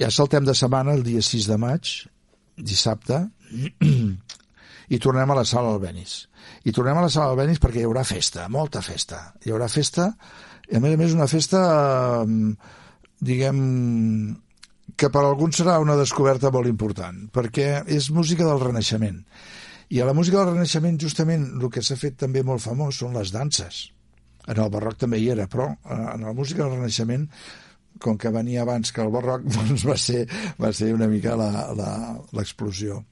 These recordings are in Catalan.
Ja saltem de setmana el dia 6 de maig, dissabte, i tornem a la Sala Albéniz. I tornem a la Sala Albéniz perquè hi haurà festa, molta festa. Hi haurà festa, i a més una festa, diguem, que per a alguns serà una descoberta molt important, perquè és música del Renaixement. I a la música del Renaixement, justament, el que s'ha fet també molt famós són les danses. En el barroc també hi era, però en la música del Renaixement, com que venia abans que el barroc, doncs va ser una mica l'explosió.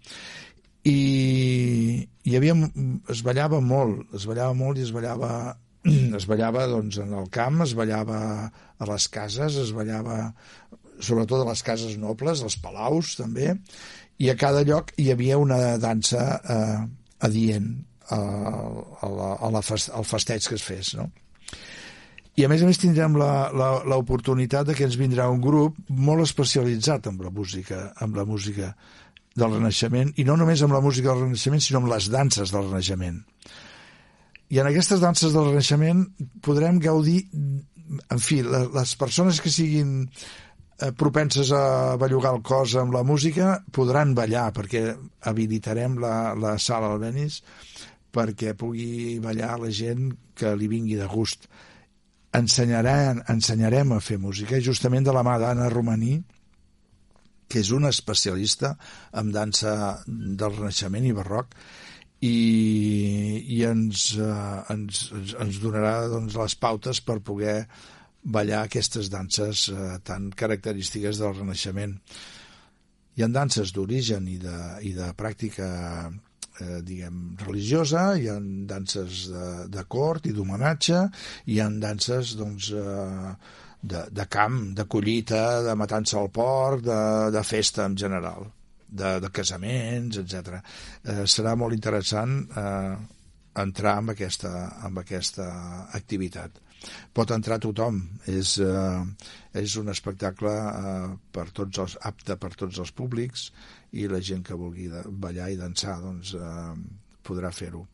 I es ballava molt i es ballava doncs, en el camp, es ballava a les cases, es ballava sobretot a les cases nobles, als palaus també, i a cada lloc hi havia una dansa adient al festeig que es fes, no? I a més tindrem l'oportunitat que ens vindrà un grup molt especialitzat amb la música del Renaixement, i no només amb la música del Renaixement, sinó amb les danses del Renaixement. I en aquestes danses del Renaixement podrem gaudir, en fi, les persones que siguin propenses a bellugar el cos amb la música podran ballar, perquè habilitarem la Sala Albéniz perquè pugui ballar la gent que li vingui de gust. Ensenyarem a fer música, justament de la mà d'Anna Romaní, que és una especialista en dansa del Renaixement i barroc, i ens donarà doncs, les pautes per poder ballar aquestes danses tan característiques del Renaixement. Hi ha danses d'origen i de pràctica diguem, religiosa, hi ha danses de cort i d'homenatge, hi ha danses doncs, de camp, de collita, de matança al porc, de festa en general, de casaments, etc. Serà molt interessant entrar en aquesta activitat. Pot entrar tothom, és un espectacle apte per tots els públics, i la gent que vulgui ballar i dansar doncs, podrà fer-ho.